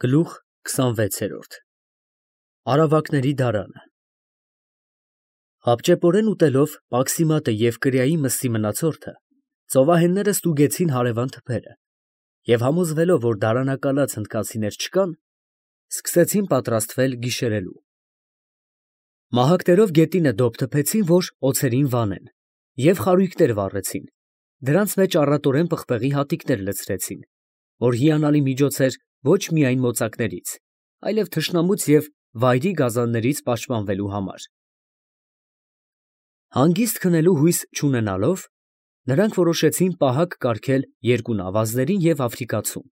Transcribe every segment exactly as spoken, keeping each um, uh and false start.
Գլուխ քսանվեցերորդ Արավակների դարանը Հապճեպորեն ուտելով պաքսիմատը և կրիայի մսի մնացորդը, ծովահենները ստուգեցին հարևան թփերը և համոզվելով, որ դարանակալած հնդկացիներ չկան, սկսեցին պատրաստվել գիշերելու։ Մահակներով գետինը դոփ թփեցին, որ օձերին վանեն, և խարույկներ վառեցին, դրանց մեջ առատորեն պղպեղի հատիկներ լցրեցին, որ հիանալի միջոց էր ոչ միայն մոծակներից, այլև թշնամուց և վայրի գազաններից պաշտպանվելու համար։ Հանգիստ քնելու հույս չունենալով, նրանք որոշեցին պահակ կարգել երկու նավազներին և Աֆրիկացուն,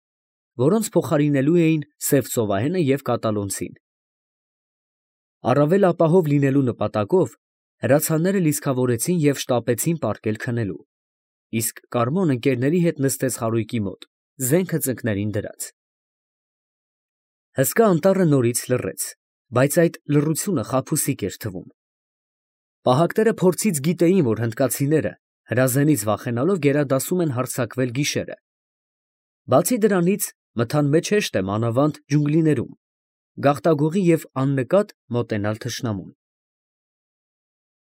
որոնց փոխարինելու էին Սև ծովահենը և կատալոնցին։ Առավել ապահով լինելու նպատակով հրացանները լիցքավորեցին և շտապեցին պառկել քնելու, իսկ Կարմոն ընկերների հետ նստեց խարույկի մոտ, զենքը ծնկներին դրած։ Հսկա անտառը նորից լռեց, բայց այդ լռությունը խաբուսիկ էր թվում։ Պահակները փորձից գիտեին, որ հնդկացիները, հրազենից վախենալով, գերադասում են հարձակվել գիշերը։ Բացի դրանից, մթան մեջ հեշտ է մանավանդ ջունգլիներում գաղտագողի և աննկատ մոտենալ թշնամուն։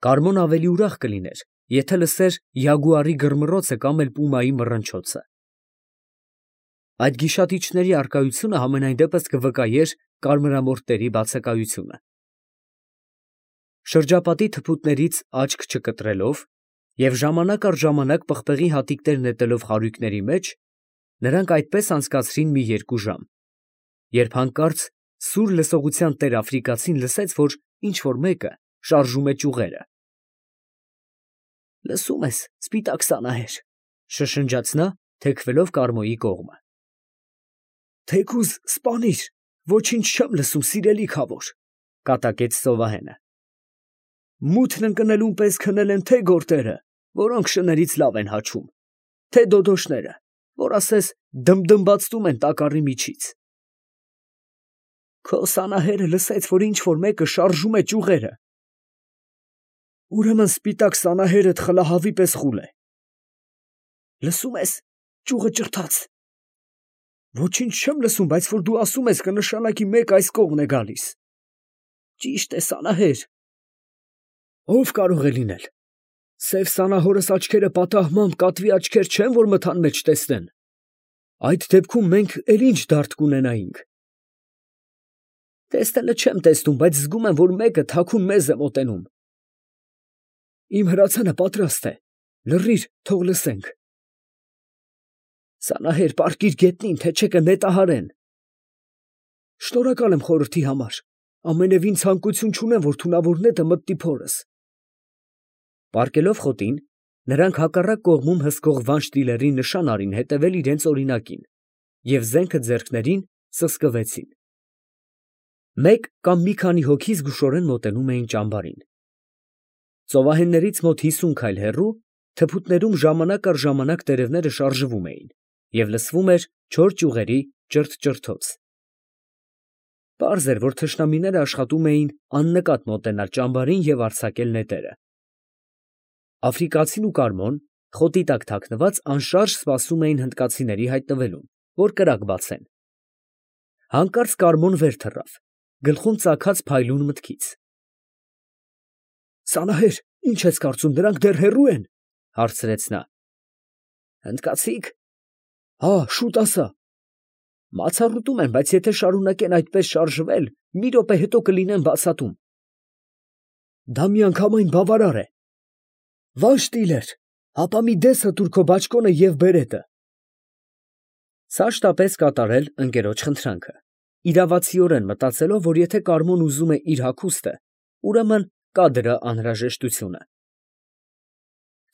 Կարմոն ավելի ուրախ կլիներ, եթե լսեր յագուարի գրմռոցը կամ էլ պումայի մռնչոցը։ Այդ գիշատիչների առկայությունը համենայն դեպս կվկայեր կարմրամորթերի բացակայությունը։ Շրջապատի թփուտներից աչք չկտրելով և ժամանակ առ ժամանակ պղպեղի հատիկներ նետելով խարույկների մեջ, նրանք այդպես անցկացրին մի երկու ժամ, երբ հանկարծ սուր լսողության տեր աֆրիկացին լսեց, որ ինչ֊որ մեկը շարժում է ճյուղերը։ ֊ Լսո՞ւմ ես, սպիտակ սանահեր, ֊ շշնջաց նա, թեքվելով Կարմոյի կողմը։ ֊ Թեկուզ սպանիր, ոչինչ չեմ լսում, սիրելի քավոր, ֊ կատակեց ծովահենը։ Մութն ընկնելուն պես քնել են թե՛ գորտերը, որոնք շներից լավ են հաչում, թե՛ դոդոշները, որ ասես դմդմբացվում են տակառի միջից։ Քո սանահերը լսեց, որ ինչ֊որ մեկը շարժում է ճյուղերը։ Ուրեմն սպիտակ սանահերդ խլահավի պես խուլ է։ Լսո՞ւմ ես, ճյուղը ջրթաց։ Ոչինչ չեմ լսում, բայց որ դու ասում ես, կնշանակի մեկը այս կողմն է գալիս։ Ճիշտ է, սանահեր։ Ո՞վ կարող է լինել։ Սև սանահորս աչքերը պատահմամբ կատվի աչքեր չեն, որ մթան մեջ տեսնեն։ Այդ դեպքում մենք էլ ինչ դարդ կունենայինք։ Տեսնելը չեմ տեսնում, բայց զգում եմ, որ մեկը թաքուն մեզ է մոտենում։ Իմ հրացանը պատրաստ է, լռիր, թող լսենք։ Սանահեր, պառկիր գետնին, թե չէ կնետահարեն։ Շնորհակալ եմ խորհրդի համար, ամենևին ցանկություն չունեմ, որ թունավոր նետը մտնի փորս։ Պառկելով խոտին, նրանք հակառակ կողմում հսկող վանշտիլերի նշան արին հետևել իրենց օրինակին և զենքը ձեռքներին սսկվեցին։ Մեկ կամ մի քանի հոգի զգուշորեն մոտենում էին ճամբարին։ Ծովահեններից մոտ հիսուն քայլ հեռու թփուտներում ժամանակ առ ժամանակ տերևները շարժվում էին և լսվում էր չոր ճյուղերի ճրթ֊ճրթոց։ Պարզ էր, որ թշնամիները աշխատում էին աննկատ մոտենալ ճամբարին և արձակել նետերը։ Աֆրիկացին ու Կարմոն, խոտի տակ թաքնված, անշարժ սպասում էին հնդկացիների հայտնվելուն, որ կրակ բացեն։ Հանկարծ Կարմոն վեր թռավ, գլխում ծագած փայլուն մտքից։ Սանահեր, ի՞նչ ես կարծում, դրանք դեռ հեռու են, ֊ հարցրեց նա։ Հնդկացի՞ք։ Հա, շուտ ասա։ Մացառուտում են, բայց եթե շարունակեն այդպես շարժվել, մի րոպե հետո կլինեն բացատում։ Դա միանգամայն բավարար է։ Վանշտիլեր, հապա մի դես հտուր քո բաճկոնը և բերետը։ Սա շտապեց կատարել ընկերոջ խնդրանքը, իրավացիորեն մտածելով, որ եթե Կարմոն ուզում է իր հագուստը, ուրեմն կա դրա անհրաժեշտությունը։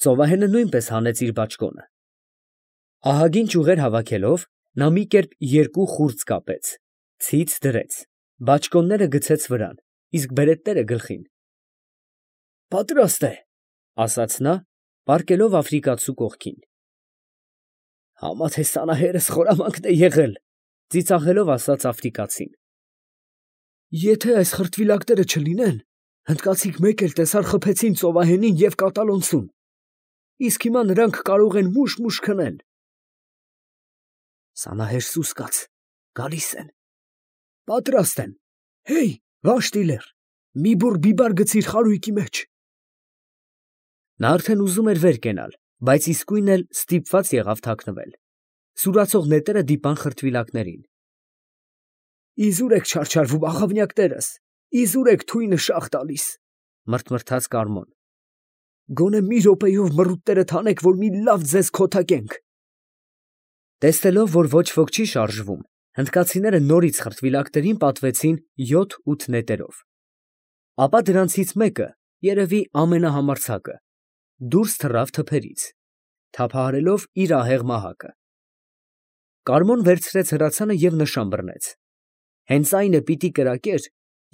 Ծովահենը նույնպես հանեց իր բաճկոնը։ Ահագին ճյուղեր հավաքելով, նա մի կերպ երկու խուրձ կապեց, ցից դրեց, բաճկոնները գցեց վրան, իսկ բերետները գլխին։ Պատրաստ է, ֊ ասաց նա, պառկելով աֆրիկացու կողքին։ Համա թե սանահերս խորամանկ է եղել, ֊ ծիծաղելով ասաց աֆրիկացին։ Եթե այս խրտվիլակները չլինեն, հնդկացիք մեկ էլ տեսար խփեցին ծովահենին և կատալոնցուն, իսկ հիմա նրանք կարող են մուշ֊մուշ քնել։ Սանահեր սուս կաց, գալիս են։ Պատրաստ եմ։ Հեյ, Վանշտիլեր, մի բուռ բիբար գցիր խարույկի մեջ։ Նա արդեն ուզում էր վեր կենալ, բայց իսկույն էլ ստիպված եղավ թաքնվել։ Սուրացող նետերը դիպան խրտվիլակներին։ Իզուր եք չարչարվում, աղավնյակներս, իզուր եք թույնը շաղ տալիս, մրթմրթաց Կարմոն։ Գոնե մի րոպեով մռութներդ հանեք, որ մի լավ ձեզ քոթակենք։ Տեսնելով, որ ոչ ոք չի շարժվում, հնդկացիները նորից խրտվիլակներին պատվեցին յոթ֊ութ նետերով։ Ապա դրանցից մեկը, երևի ամենահամարձակը, դուրս թռավ թփերից, թափահարելով իր ահեղ մահակը։ Կարմոն վերցրեց հրացանը և նշան բռնեց։ Հենց այն է պիտի կրակեր,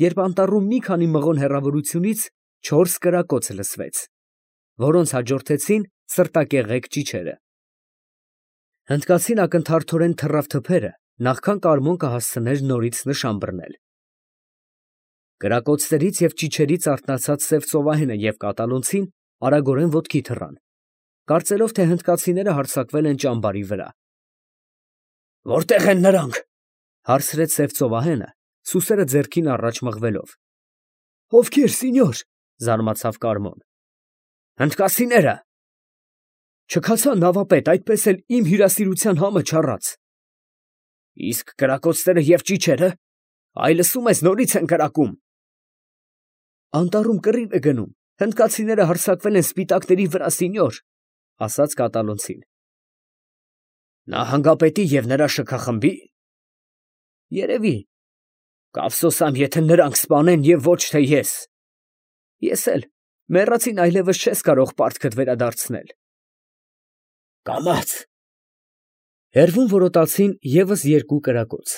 երբ անտառում մի քանի մղոն հեռավորությունից չորս կրակոց լսվեց, որոնց հաջորդեցին սրտակեղեկ ճիչերը։ Հնդկացին ակնթարթորեն թռավ թփերը, նախքան Կարմոն կհասցներ նորից նշան բռնել։ Կրակոցներից և ճիչերից արթնացած սև ծովահենը և կատալոնցին արագորեն ոտքի թռան, կարծելով, թե հնդկացիները հարձակվել են ճամբարի վրա։ Որտե՞ղ են նրանք, հարցրեց սև ծովահենը, սուսերը ձեռքին առաջ մղվելով։ Ովքեր, սինյոր, զարմացավ Կարմոն։ Հնդկացիները։ Չքացա նավապետ, այդպես էլ իմ հյուրասիրության համը չառած։ Իսկ կրակոցները և ճիչերը, այ լսում ես, նորից են կրակում։ Անտառում կռիվ է գնում, հնդկացիները հարձակվել են սպիտակների վրա, սինյոր, ասաց կատալոնցին։ Նահանգապետի և նրա շքախմբի։ Երևի, կափսոսամ, եթե նրանք սպանեն և ոչ թե ես։ Ես էլ, մեռածին այլևս չես կարող պարտքդ վերադարձնել։ Կամաց։ Հեռվում որոտացին ևս երկու կրակոց,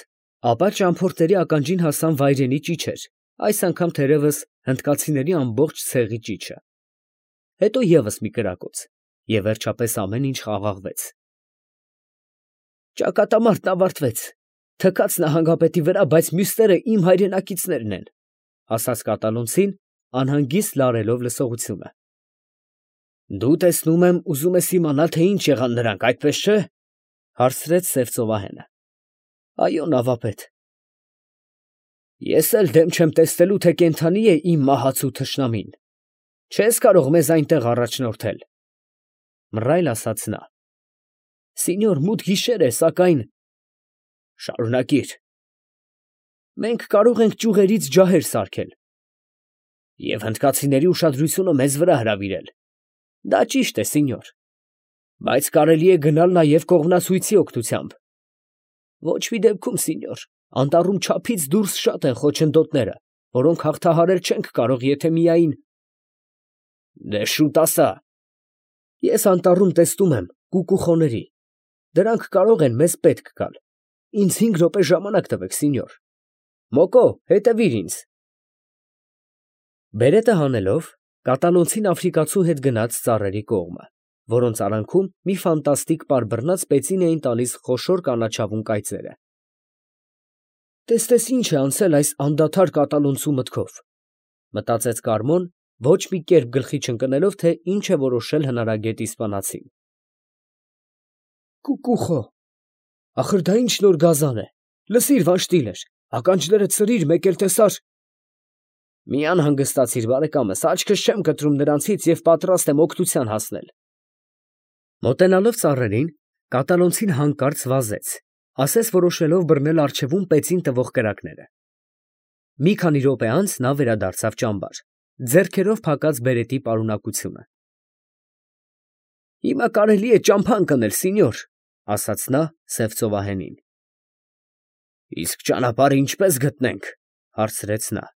ապա ճամփորդների ականջին հասան վայրենի ճիչեր, այս անգամ թերևս հնդկացիների ամբողջ ցեղի ճիչը։ Հետո ևս մի կրակոց, և վերջապես ամեն ինչ խաղաղվեց։ Ճակատամարտն ավարտվեց, թքած նահանգապետի վրա, բայց մյուսները իմ հայրենակիցներն են, ասաց կատալոնցին, անհանգիստ լարելով լսողությունը։ Դու տեսնում եմ, ուզում ես իմանալ, թե ինչ եղան նրանք, այդպես չէ, հարցրեց սև ծովահենը։ Այո, նավապետ։ Ես էլ դեմ չեմ տեսնելու, թե կենդանի է իմ մահացու թշնամին։ Չես կարող մեզ այնտեղ առաջնորդել, մռայլ ասաց նա։ Սինյոր, մութ գիշեր է, սակայն… Շարունակիր։ Մենք կարող ենք ճյուղերից ջահեր սարքել և հնդկացիների ուշադրությունը մեզ վրա հրավիրել։ Դա ճիշտ է, սինյոր, բայց կարելի է գնալ նաև կողմնացույցի օգնությամբ։ Ոչ մի դեպքում, սինյոր, անտառում չափից դուրս շատ են խոչընդոտները, որոնք հաղթահարել չենք կարող, եթե միայն… Դե շուտ ասա։ Ես անտառում տեսնում եմ կուկուխոների, դրանք կարող են մեզ պետք գալ։ Ինձ հինգ րոպե ժամանակ տվեք, սինյոր։ Մոկո, հետևիր ինձ։ Բերետը հանելով, կատալոնցին աֆրիկացու հետ գնաց ծառերի կողմը, որոնց արանքում մի ֆանտաստիկ պարբռնած պեցին էին տալիս խոշոր կանաչավուն կայծերը։ Տես ինչ է անցել այս անդադար կատալոնցու մտքով, մտածեց Կարմոն, ոչ մի կերպ գլխի չընկնելով, թե ինչ է որոշել հնարագետ իսպանացին։ Կուկուխո, ախր դա ինչ նոր գազան է, լսիր, Վանշտիլեր, ականջներդ սրիր, մեկ էլ տեսար… Մի անհանգստացիր, բարեկամս, աչքս չեմ կտրում նրանցից և պատրաստ եմ օգնության հասնել։ Մոտենալով ծառերին, կատալոնցին հանկարծ վազեց, ասես որոշելով բռնել առջևում պեցին տվող կրակները։ Մի քանի րոպե անց նա վերադարձավ ճամբար, ձեռքերով փակած բերետի պարունակությունը։ Հիմա կարելի է ճամփա ընկնել, սինյոր, ասաց նա սև ծովահենին։ Իսկ ճանապարհը ինչպես գտնենք, հարցրեց նա։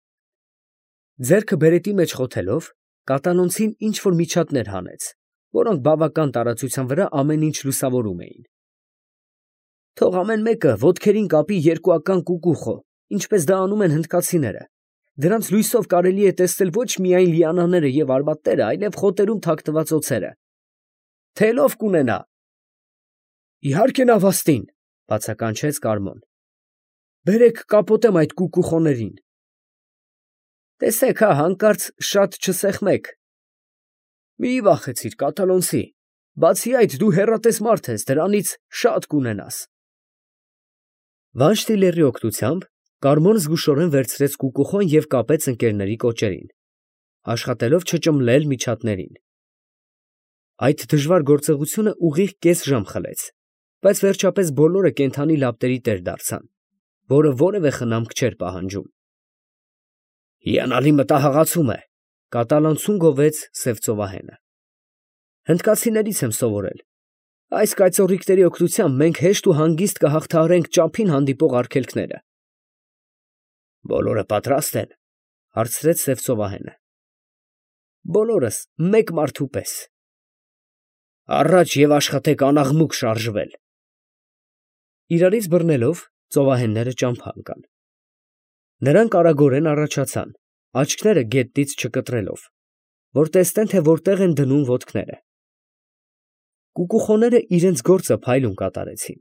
Ձեռքը բերետի մեջ խոթելով, կատալոնցին ինչ֊որ միջատներ հանեց, որոնք բավական տարածության վրա ամեն ինչ լուսավորում էին։ Թող ամեն մեկը ոտքերին կապի երկուական կուկուխո, ինչպես դա անում են հնդկացիները։ Դրանց լույսով կարելի է տեսնել ոչ միայն լիանաները և արմատները, այլև խոտերում թաքնված օձերը։ Թելով կունենա։ Իհարկե նավաստին, բացականչեց Կարմոն։ Բերեք կապոտեմ այդ կուկուխոներին։ Տեսեք, հա, հանկարծ շատ չսեղմեք։ Մի վախեցիր, կատալոնցի, բացի այդ դու հեռատես մարդ ես, դրանից շատ կունենաս։ Վանշտիլերի օգնությամբ Կարմոն զգուշորեն վերցրեց կուկուխոն և կապեց ընկերների կոճերին, աշխատելով չճմլել միջատներին։ Այդ դժվար գործողությունը ուղիղ կես ժամ խլեց, բայց վերջապես բոլորը կենդանի լապտերի տեր դարձան, որը որևէ խնամք չէր պահանջում։ Հիանալի մտահղացում է, կատալոնցուն գովեց սև ծովահենը։ Հնդկացիներից եմ սովորել։ Այս կայծառիկների օգնությամբ մենք հեշտ ու հանգիստ կհաղթահարենք ճափին հանդիպող արգելքները։ Բոլորը պատրաստ են, հարցրեց սև ծովահենը։ Բոլորս մեկ մարդու պես։ Առաջ և աշխատեք անաղմուկ շարժվել։ Իրարից բռնելով ծովահենները ճամփա ընկան։ Նրանք արագորեն առաջացան, աչքները գետնից չկտրելով, որ տեսնեն, թե որտեղ են դնում ոտքները։ Կուկուխոները իրենց գործը փայլուն կատարեցին։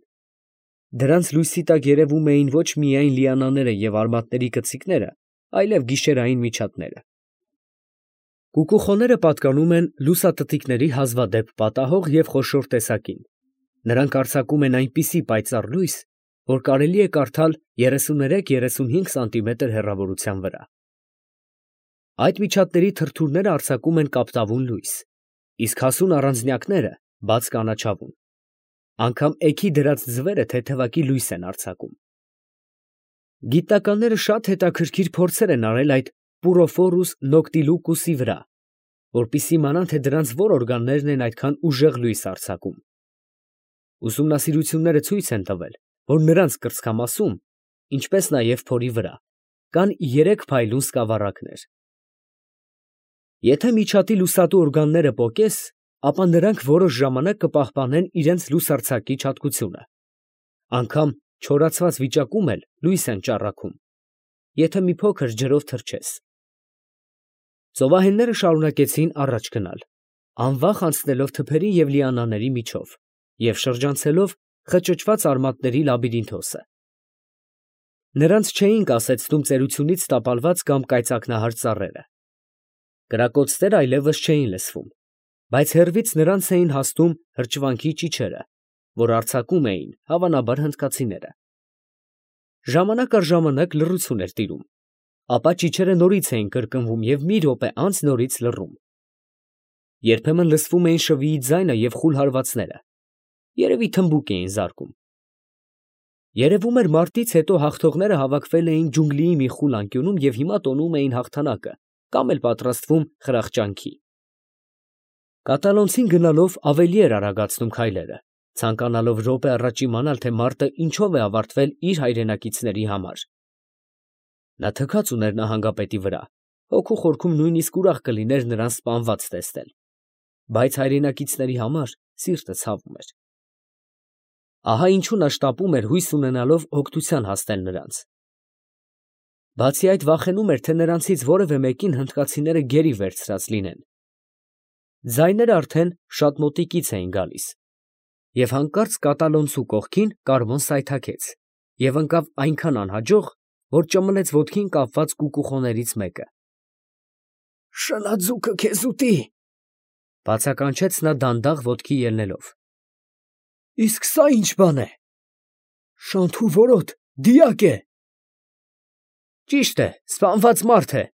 Դրանց լույսի տակ երևում էին ոչ միայն լիանաները և արմատների կծիկները, այլև գիշերային միջատները։ Կուկուխոները պատկանում են լուսատտիկների հազվադեպ պատահող և խոշոր տեսակին։ Նրանք արձակում են այնպիսի պայծառ լույս, որ կարելի է կարդալ երեսուներեք երեսունհինգ սանտիմետր հեռավորության վրա։ Այդ միջատների թրթուրները արձակում են կապտավուն լույս, իսկ հասուն առանձնյակները բաց կանաչավուն։ Անգամ էգի դրած ձվերը թեթևակի լույս են արձակում։ Գիտնականները շատ հետաքրքիր փորձեր են արել այդ Պուրոֆորուս նոկտիլուկուսի վրա, որպեսզի իմանան, թե դրանց որ օրգաններն են այդքան ուժեղ լույս արձակում։ Ուսումնասիրությունները ցույց են տվել, որ նրանց կրծքամասում, ինչպես նաև փորի վրա, կան երեք փայլուն սկավառակներ։ Եթե միջատի լուսատու օրգանները պոկես, ապա նրանք որոշ ժամանակ կպահպանեն իրենց լուսարձակիչ հատկությունը։ Անգամ չորացված վիճակում էլ լույս են ճառագում, եթե մի փոքր ջրով թրջես։ Ծովահենները շարունակեցին առաջ գնալ, անվախ անցնելով թփերի և լիանաների միջով և շրջանցելով խճճված արմատների լաբիրինթոսը։ Նրանց չէին կասեցնում ծերությունից տապալված կամ կայծակնահար ծառերը։ Կրակոցները այլևս չէին լսվում, բայց հեռվից նրանց էին հասնում հրճվանքի ճիչերը, որ արձակում էին, հավանաբար, հնդկացիները։ Ժամանակ առ ժամանակ լռություն էր տիրում, ապա ճիչերը նորից էին կրկնվում և մի րոպե անց նորից լռում։ Երբեմն լսվում էին շվիի ձայնը և խուլ հարվածները, երևի թմբուկ էին զարկում։ Երևում էր մարտից հետո հաղթողները հավաքվել էին ջունգլիի մի խուլ անկյունում և հիմա տոնում էին հաղթանակը կամ էլ պատրաստվում խրախճանքի։ Կատալոնցին գնալով ավելի էր արագացնում քայլերը, ցանկանալով րոպե առաջ իմանալ, թե մարտը ինչով է ավարտվել իր հայրենակիցների համար։ Նա թքած ուներ նահանգապետի վրա, հոգու խորքում նույնիսկ ուրախ կլիներ նրան սպանված տեսնել, բայց հայրենակիցների համար սիրտը ցավում էր։ Ահա ինչու նա շտապում էր, հույս ունենալով օգնության հասնել նրանց։ Բացի այդ, վախենում էր, թե նրանցից որևէ մեկին հնդկացիները գերի վերցրած լինեն։ Ձայները արդեն շատ մոտիկից էին գալիս, և հանկարծ կատալոնցու կողքին Կարմոն սայթաքեց և ընկավ այնքան անհաջող, որ ճմլեց ոտքին կապված կուկուխոներից մեկը։ ֊ Շնաձուկը քեզ ուտի, ֊ բացականչեց նա դանդաղ ոտքի ելնելով։ ֊ Իսկ սա ի՞նչ բան է։ ֊ Շանթուվորոտ, դիակ է։ ֊ Ճիշտ է, սպանված մարդ է, ֊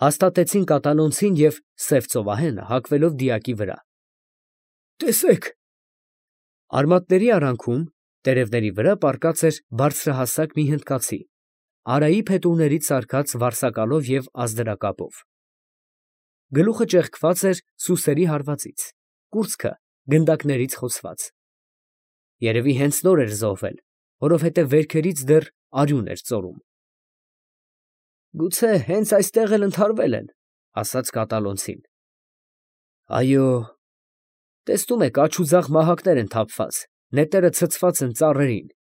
հաստատեցին կատալոնցին և սև ծովահենը հագվելով դիակի վրա։ ֊ Տեսեք։ Արմատների արանքում, տերևների վրա պառկած էր բարձրահասակ մի հնդկացի, արայի փետուրներից սարքած վարսակալով և ազդրակապով։ Գլուխը ճեղքված էր սուսերի հարվածից, կուրծքը գնդակներից խոցված։ Երևի հենց նոր էր զոհվել, որովհետև վերքերից դեռ արյուն էր ծորում։ ֊ Գուցե հենց այստեղ էլ ընդհարվել են, ֊ ասաց կատալոնցին։ ֊ Այո, տեսնում եք աջուձախ մահակներ են թափված, նետերը ցցված են ծառերին, ֊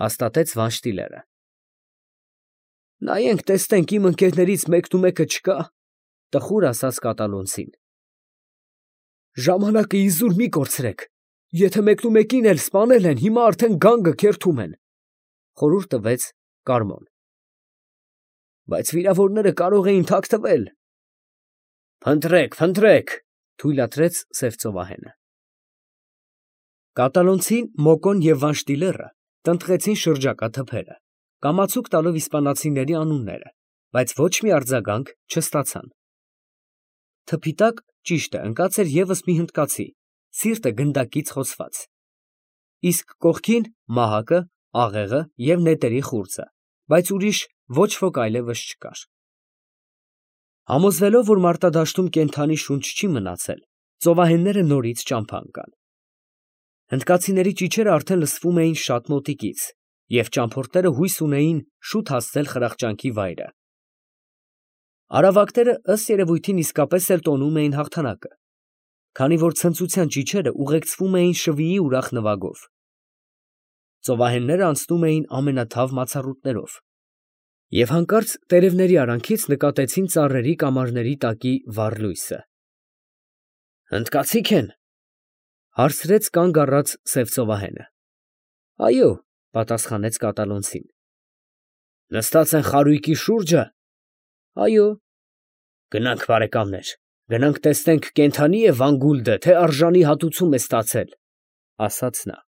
հաստատեց Վանշտիլերը։ ֊ Նայենք տեսնենք իմ ընկերներից մեկնումեկը չկա, ֊ տխուր ասաց կատալոնցին։ ֊ Ժամանակը իզուր մի կորցրեք, եթե մեկնումեկին էլ սպանել են, հիմա արդեն գանգը քերթում են, ֊ խորհուրդ տվեց Կարմոն։ ֊ Բայց վիրավորները կարող էին թաքցվել։ ֊ Փնտրեք, փնտրեք, ֊ թույլատրեց սև ծովահենը։ Կատալոնցին, Մոկոն և Վանշտիլերը տնտղեցին շրջակա թփերը, կամացուկ տալով իսպանացիների անունները, բայց ոչ մի արձագանք չստացան։ Թփի տակ, ճիշտ է, ընկած էր ևս մի հնդկացի, սիրտը գնդակից խոցված, իսկ կողքին մահակը, աղեղը և նետերի խուրձը, բայց ուրիշ ոչ ոք այլևս չկար։ Համոզվելով, որ մարտադաշտում կենդանի շունչ չի մնացել, ծովահենները նորից ճամփա ընկան։ Հնդկացիների ճիչերը արդեն լսվում էին շատ մոտիկից, և ճամփորդները հույս ունեին շուտ հասնել խրախճանքի վայրը։ Արավակները ըստ երևույթին իսկապես էլ տոնում էին հաղթանակը, քանի որ ցնծության ճիչերը ուղեկցվում էին շվիի ուրախ նվագով։ Ծովահենները անցնում էին ամենաթավ մացառուտներով, և հանկարծ տերևների արանքից նկատեցին ծառերի կամարների տակի վառ լույսը։ ֊ Հնդկացի՞ք են, ֊ հարցրեց կանգ առած սև ծովահենը։ ֊ Այո, ֊ պատասխանեց կատալոնցին։ ֊ Նստած են խարույկի շուրջը։ ֊ Այո։ ֊ Գնանք, բարեկամներ, գնանք տեսնենք կենդանի՞ է Վան Գուլդը, թե արժանի հատուցում է ստացել, ֊ ասաց նա։